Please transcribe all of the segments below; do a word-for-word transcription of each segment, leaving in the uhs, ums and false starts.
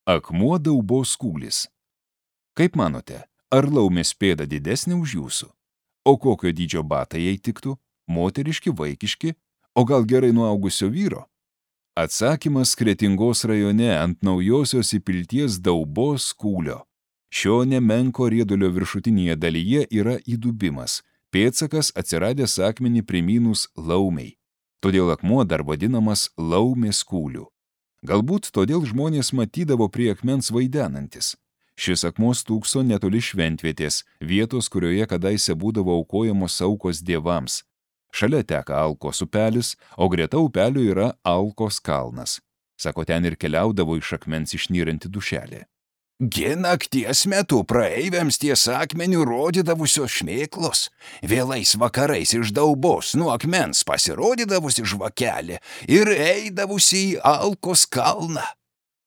Akmuo daubos kūlis. Kaip manote, ar laumės pėda didesnė už jūsų? O kokio dydžio batai jai tiktų? Moteriški, vaikiški? O gal gerai nuaugusio vyro? Atsakymas Kretingos rajone ant Naujosios Įpilties daubos kūlio. Šio nemenko riedulio viršutinėje dalyje yra įdubimas, pėdsakas atsiradęs akmenį primynus laumei. Todėl akmuo dar vadinamas laumės kūliu. Galbūt todėl žmonės matydavo prie akmens vaidenantis. Šis akmuo stūkso netoli šventvietės, vietos, kurioje kadaise būdavo aukojamos aukos dievams. Šalia teka Alkos upelis, o greta upelio yra Alkos kalnas. Sako, ten ir keliaudavo iš akmens išnyranti dušelė. Gi nakties metu praeiviams ties akmeniu rodydavusios šmėklos, vėlais vakarais iš daubos nuo akmens pasirodydavusi žvakelė ir eidavusi į Alkos kalną.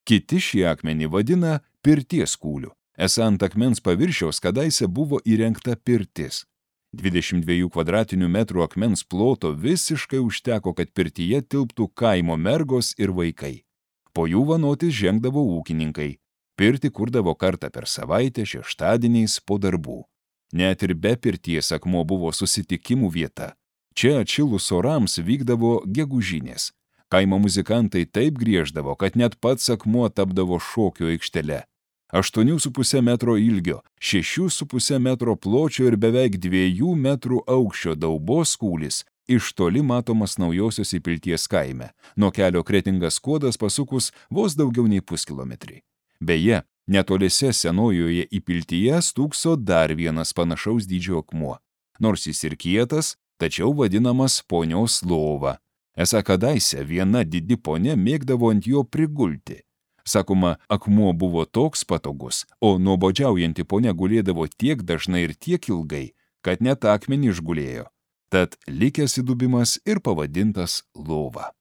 Kiti šį akmenį vadina pirties kūliu. Esą ant akmens paviršiaus kadaise buvo įrengta pirtis. dvidešimt dviejų kvadratinių metrų akmens ploto visiškai užteko, kad pirtyje tilptų kaimo mergos ir vaikai. Po jų vanotis žengdavo ūkininkai. Pirtį kurdavo kartą per savaitę šeštadieniais po darbų. Net ir be pirties akmuo buvo susitikimų vieta. Čia atšilus orams vykdavo gegužinės. Kaimo muzikantai taip grieždavo, kad net pats akmuo tapdavo šokio aikštele. aštuonių su puse metro ilgio, šešių su puse metro pločio ir beveik dviejų metrų aukščio daubos kūlis iš toli matomas Naujosios Įpilties kaime. Nuo kelio Kretingas Skuodas pasukus vos daugiau nei puskilometrį. Beje, netoliese Senojoje Įpiltyje stūkso dar vienas panašaus dydžio akmuo. Nors jis ir kietas, tačiau vadinamas ponios lova. Esą kadaise viena didi ponia mėgdavo ant jo prigulti. Sakoma, akmuo buvo toks patogus, o nuobodžiaujanti ponia gulėdavo tiek dažnai ir tiek ilgai, kad net akmenį išgulėjo. Tad likęs įdubimas ir pavadintas lova.